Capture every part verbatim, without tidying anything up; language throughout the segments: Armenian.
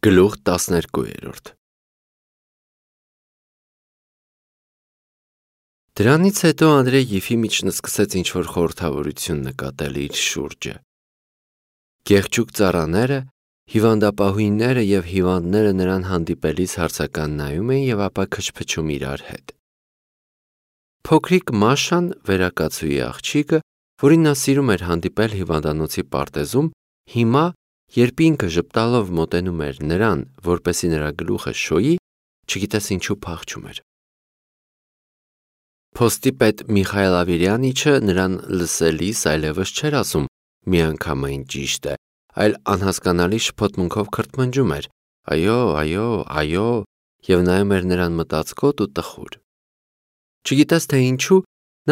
Գլուխ տասներկու։ Դրանից հետո Անդրեյ Եֆիմիչն սկսեց ինչ-որ խորհրդավորություն նկատել իր շուրջը։ Գեղջուկ ծառաները, հիվանդապահույները և հիվանդները նրան հանդիպելիս հարցական նայում էին և ապա քչփչում իրար հետ։ Փոքրիկ Մաշան, վերակացուի աղջիկը, որին նա սիրում էր հանդիպել հիվանդանոցի պարտեզում, հիմա, երբ ինքը ժպտալով մոտենում էր նրան, որպեսզի նրա գլուխը շոյի, չգիտես ինչու փախչում էր։ Փոստի պետ Միխայել Ավիրյանիչը նրան լսելիս այլևս չէր ասում միանգամայն ճիշտ է, այլ անհասկանալի շփոթմունքով քրթմնջում էր. «Այո, այո, այո» և նայում էր նրան մտածկոտ ու տխուր։ Չգիտես թե ինչու,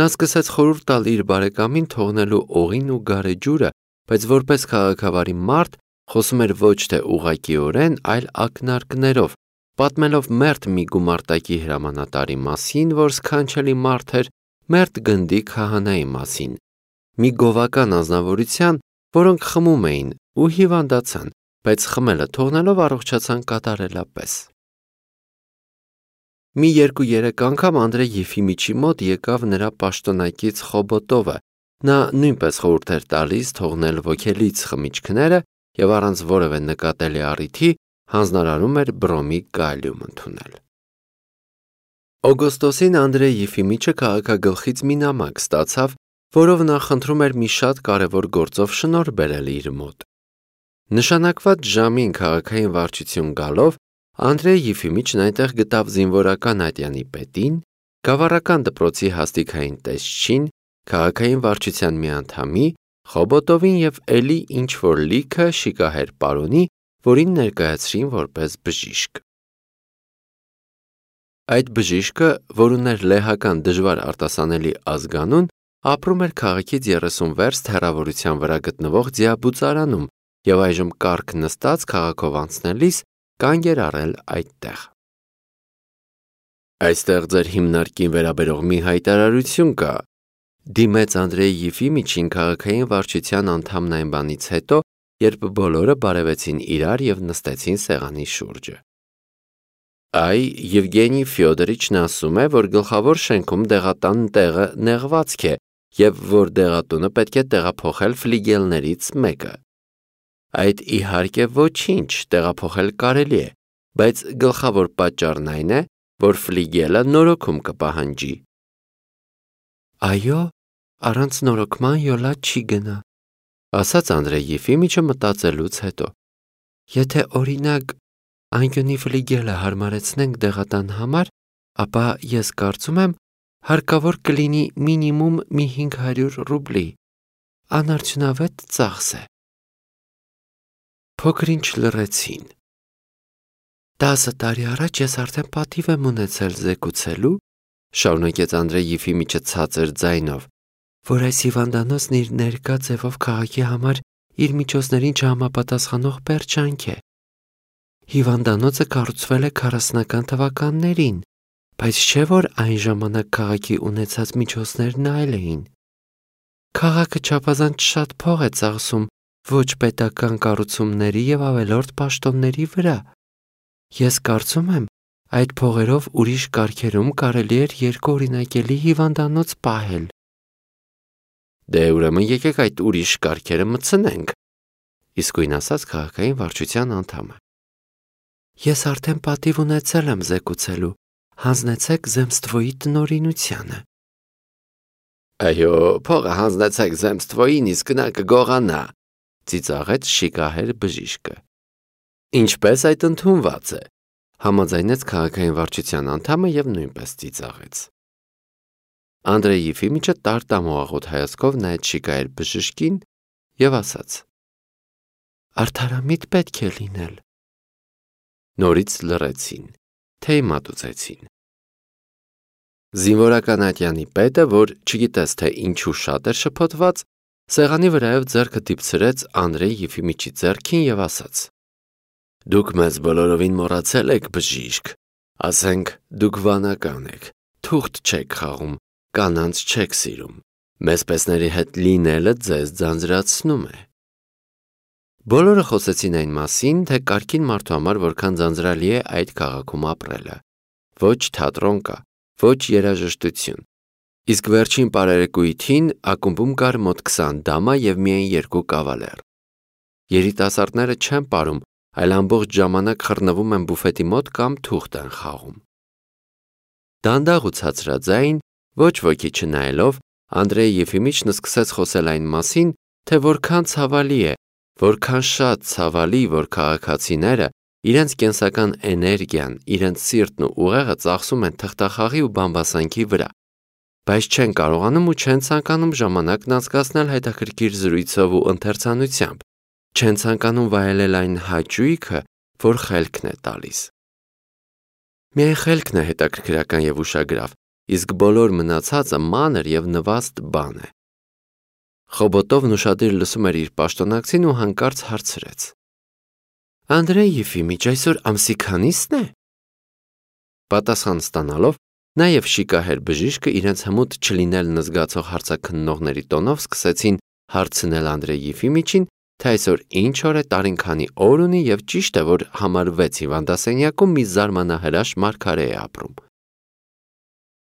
նա սկսեց խորհուրդ տալ իր բարեկամին թողնելու օղին ու գարեջուրը, բայց որպես քաղաքավարի մարդ խոսում էր ոչ թե ուղղակիորեն, այլ ակնարկներով, պատմելով մերթ մի գումարտակի հրամանատարի մասին, որ սքանչելի մարդ էր, մերթ գնդի քահանայի մասին, մի գովական անձնավորության, որոնք խմում էին ու հիվանդացան, բայց խմելը թողնելով առողջացան կատարելապես։ Մի երկու-երեք անգամ Անդրեյ Եֆիմիչի մոտ եկավ նրա պաշտոնակից Խոբոտովը, նա նույնպես խորհուրդ էր տալիս թողնել ոգելից խմիչքները և առանց որևէ նկատելի առիթի հանձնարարում էր բրոմի կալիում ընդունել։ Օգոստոսին Անդրեյ Եֆիմիչը քաղաքագլխից մի նամակ ստացավ, որով նա խնդրում էր մի շատ կարևոր գործով շնորհ բերել իր մոտ։ Նշանակված ժամին քաղաքային վարչություն գալով, Անդրեյ Եֆիմիչն այնտեղ գտավ զինվորական ատյանի պետին, գավառական դպրոցի հաստիքային տեսչին, քաղաքային վարչության մի անդամի, Խոբոտովին և էլի ինչ-որ լիքը շիկահեր պարոնի, որին ներկայացրին որպես բժիշկ։ Այդ բժիշկը, որ ուներ լեհական դժվար արտասանելի ազգանուն, ապրում էր քաղաքից երեսուն վերստ հեռավորության վրա գտնվող ձիաբուծարանում և այժմ կառք նստած քաղաքով անցնելիս կանգ էր առել այդտեղ։ Այստեղ ձեր հիմնարկին վերաբերող մի հայտարարություն կա, դիմեց Անդրեյ Եֆիմիչին քաղաքային վարչության անդամն այն բանից հետո, երբ բոլորը բարևեցին իրար և նստեցին սեղանի շուրջը։ Այ Եվգենի Ֆյոդորիչն ասում է, որ գլխավոր շենքում դեղատան տեղը նեղվածք է և որ դեղատունը պետք է տեղափոխել ֆլիգելներից մեկը։ Այդ իհարկե ոչինչ, տեղափոխել կարելի է, բայց գլխավոր պատճառն այն է, որ ֆլիգելը նորոգում կպահանջի։ Այո, առանց նորոգման յոլա չի գնա, ասաց Անդրեյ Եֆիմիչը մտածելուց հետո։ Եթե օրինակ անկյունի ֆլիգելը հարմարեցնենք դեղատան համար, ապա ես կարծում եմ հարկավոր կլինի մինիմում մի հինգ հարյուր ռուբլի, անարդյունավետ ծախս է։ Փոքր-ինչ լռեցին։ Տասը տարի առաջ ես արդեն պատիվ եմ ունեցել զեկուցելու, շարունակեց Անդրեյ Եֆիմիչը ցածր ձայնով, որ այս հիվանդանոցն իր ներկա ձևով քաղաքի համար իր միջոցներին չհամապատասխանող պերճանք է։ Հիվանդանոցը կառուցվել է քառասունական թվականներին, բայց չէ որ այն ժամանակ քաղաքի ունեցած միջոցներն այլ էին։ Քաղաքը չափազանց շատ փող է ծախսում ոչ պետական կառուցումների և ավելորդ պաշտոնների վրա։ Ես կարծում եմ, այդ փողերով ուրիշ կարգերում կարելի էր երկուօրինակելի հիվանդանոց պահել։ Դե ուրեմն եկեք այդ ուրիշ կարգերը մտցնենք, իսկույն ասաց քաղաքային վարչության անդամը։ Ես արդեն պատիվ ունեցել եմ զեկուցելու, հանձնեցեք Զեմստվոյի տնօրինությանը։ Այո, փողը հանձնեցեք Զեմստվոյին, իսկ նա կգողանա, ծիծաղեց շիկահեր բժիշկը։ Ինչպես այդ ընդունված է, համաձայնեց քաղաքային վարչության անդամը և նույնպես ծիծաղեց։ Անդրեյ Եֆիմիչը տարտամոաղոտ հայացքով նայեց շիկահեր բժշկին և ասաց. Արդարամիտ պետք է լինել։ Նորից լռեցին, թեյ մատուցեցին։ Զինվորական ատյանի պետը, որ չգիտես թե ինչու շատ էր շփոթված, սեղանի վրայով ձեռքը դիպցրեց Անդրեյ Եֆիմիչի ձեռքին և ասաց. Դուք մեզ բոլորովին մոռացել եք, բժիշկ, ասենք դուք վանական եք, թուղթ չեք խաղում, կանանց չեք սիրում, մեզ պեսների հետ լինելը ձեզ ձանձրացնում է։ Բոլորը խոսեցին այն մասին, թե կարգին մարդու համար որքան ձանձրալի է այդ քաղաքում ապրելը։ Ոչ թատրոն կա, ոչ երաժշտություն։ Իսկ վերջին պարերեկույթին ակումբում կար մոտ քսան դամա և միայն երկու կավալեր։ Երիտասարդները չեն պարում, այլ ամբողջ ժամանակ խռնվում են բուֆետի մոտ կամ թուղթ են խաղում։ Դանդաղ ու ցածրաձայն, ոչ ոքի չնայելով, Անդրեյ Եֆիմիչն սկսեց խոսել այն մասին, թե որքան ցավալի է, որքան շատ ցավալի, որ քաղաքացիները իրենց կենսական էներգիան, իրենց սիրտն ու ուղեղը ծախսում են թղթախաղի ու բամբասանքի վրա, բայց չեն կարողանում ու չեն ցանկանում ժամանակն անցկացնել հետաքրքիր զրույցով ու ընթերցանությամբ, չեն ցանկանում վայելել այն հաճույքը, որ խելքն է տալիս։ Միայն խելքն է հետաքրքրական և ուշագրավ, իսկ բոլոր մնացածը մանր և նվաստ բան է։ Խոբոտովն ուշադիր լսում էր իր պաշտոնակցին ու հանկարծ հարցրեց. Անդրեյ Եֆիմիչ, այսօր ամսի քանիսն է։ Պատասխան ստանալով, նաև շիկահեր բժիշկը իրենց հմուտ չլինել նզգացող հարցաքննողների տոնով սկսեցին հարցնել Անդրեյ Եֆիմիչին, թե այսօր ինչ օր է, տարին քանի օր ունի և ճիշտ է, որ համար վեց հիվանդասենյակում մի զարմանահրաշ մարգարե է ապրում։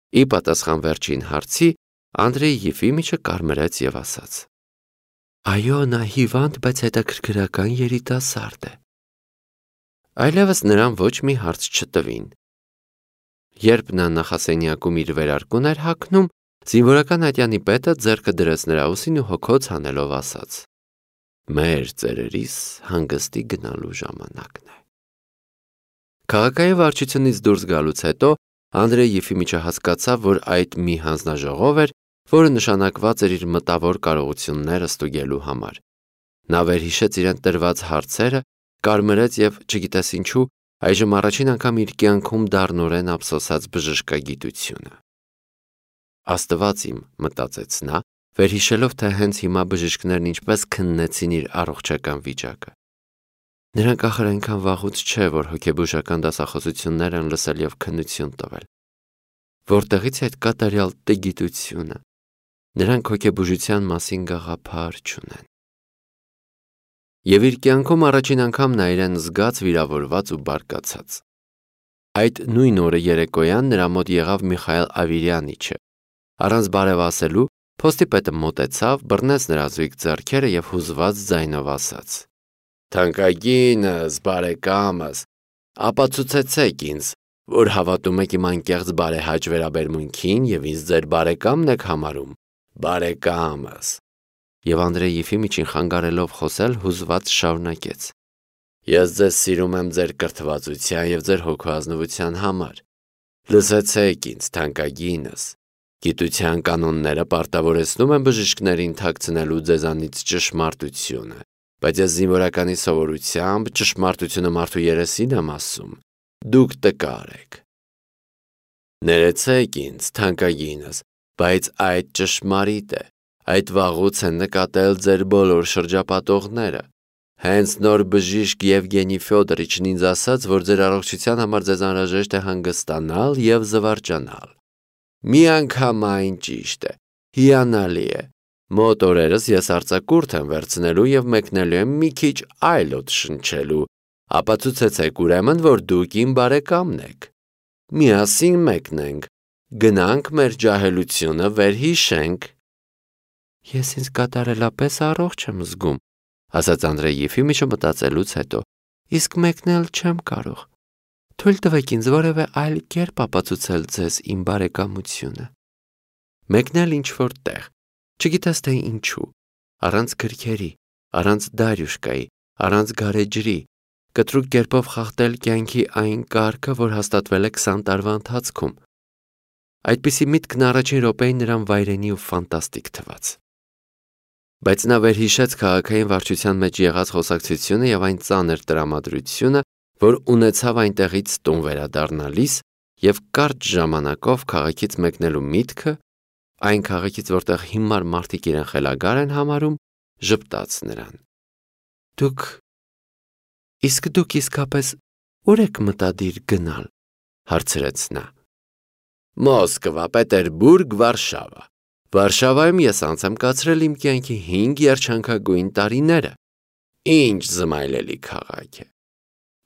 Ի պատասխան վերջին հարցի, Անդրեյ Եֆիմիչը կարմրեց և ասաց. Այո, նա հիվանդ, բայց հետաքրքրական երիտասարդ է։ Այլևս նրան ոչ մի հարց չտվին։ Երբ նա նախասենյակում իր վերարկուն էր հագնում, զինվորական ատյանի պետը ձեռքը դրեց նրա ուսին ու հոգոց հանելով ասաց. Մեր ծերերիս հանգստի գնալու ժամանակն է։ Քաղաքային վարչությունից դուրս գալուց հետո Անդրեյ Եֆիմիչը հասկացավ, որ այդ մի հանձնաժողով էր, որը նշանակված էր իր մտավոր կարողությունները ստուգելու համար։ Նա վերհիշեց իրեն տրված հարցերը, կարմրեց և, չգիտես ինչու, այժմ առաջին անգամ իր կյանքում դառնորեն ափսոսած բժշկագիտությունը։ Աստված իմ, մտածեց նա, վերհիշելով, թե հենց հիմա բժիշկներն ինչպես քննեցին իր առողջական վիճակը։ Նրանք ախր այնքան վաղուց չէ, որ հոգեբուժական դասախոսություններ են լսել և քննություն տվել։ Որտեղից է այդ կատարյալ տգիտությունը։ Նրանք հոգեբուժության մասին գաղափար չունեն։ Եվ իր կյանքում առաջին անգամ նա իրեն զգաց վիրավորված ու բարկացած։ Այդ նույն օրը երեկոյան նրա մոտ եղավ Միխայել Ավիրյանիչը։ Առանց բարև ասելու, փոստի պետը մոտեցավ, բռնեց նրա զույգ ձեռքերը և հուզված ձայնով ասաց. Թանկագինս, բարեկամս, ապացուցեցեք ինձ, որ հավատում եք իմ անկեղծ բարեհաճ վերաբերմունքին և ինձ ձեր բարեկամն եք համարում, բարեկամս։ Եվ Անդրեյ Եֆիմիչին խանգարելով խոսել հուզված շարունակեց. Ես ձեզ սիրում եմ ձեր կրթվածության և ձեր հոգուազնվության համար։ Լսեցեք ինձ, թանկագինս։ Գիտության կանոնները պարտավորեցնում են բժիշկներին թաքցնելու ձեզանից ճշմարտությունը, բայց ես զինվորականի սովորությամբ ճշմարտությունը մարդու երեսին եմ ասում։ Դուք տկար եք։ Ներեցեք ինձ, թանկագինս, բայց այդ ճշմարիտ է։ Այդ վաղուց են նկատել ձեր բոլոր շրջապատողները։ Հենց նոր բժիշկ Եվգենի Ֆյոդորիչն ինձ ասաց, որ ձեր առողջության համար ձեզ անհրաժեշտ է հանգստանալ և զվարճանալ։ Մի անգամ այն ճիշտ է, հիանալի է։ Մոտ օրերս ես արձակուրդ եմ վերցնելու և մեկնելու եմ մի քիչ այլ օդ շնչելու։ Ապացուցեցեք ուրեմն, որ դուք իմ բարեկամն եք։ Միասին մեկնենք, գնանք մեր ջահելությունը վերհիշենք։ Ես ինձ կատարելապես առողջ եմ զգում, ասաց Անդրեյ Եֆիմիչը մտածելուց հետո, իսկ մեկնել չեմ կարող։ Թույլ տվեք ինձ որևէ այլ կերպ ապացուցել ձեզ իմ բարեկամությունը։ Մեկնել ինչ-որ տեղ, չգիտես թե ինչու, առանց գրքերի, առանց դարյուշկայի, առանց գարեջրի, կտրուկ կերպով խախտել կյանքի այն կարգը, որ հաստատվել է քսան տարվա ընթացքում։ Այդպիսի միտքն առաջին րոպեին նրան վայրենի ու ֆանտաստիկ թվաց։ Բայց նա վերհիշեց քաղաքային վարչության մեջ եղած խոսակցությունը և այն ծանր տրամադրությունը, որ ունեցավ այնտեղից տուն վերադառնալիս և կարճ ժամանակով քաղաքից մեկնելու միտքը, այն քաղաքից, որտեղ հիմար մարդիկ իրեն խելագար են համարում, ժպտաց նրան։ Դուք, իսկ դուք իսկապես ուր եք մտադիր գնալ, հարցրեց նա։ Մոսկվա, Պետերբուրգ, Վարշավա։ Վարշավայում ես անց եմ կացրել իմ կյանքի հինգ երջանկագույն տարիները։ Ինչ զմայլելի քաղաք է։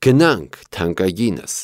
Գնանք, թանկագինս։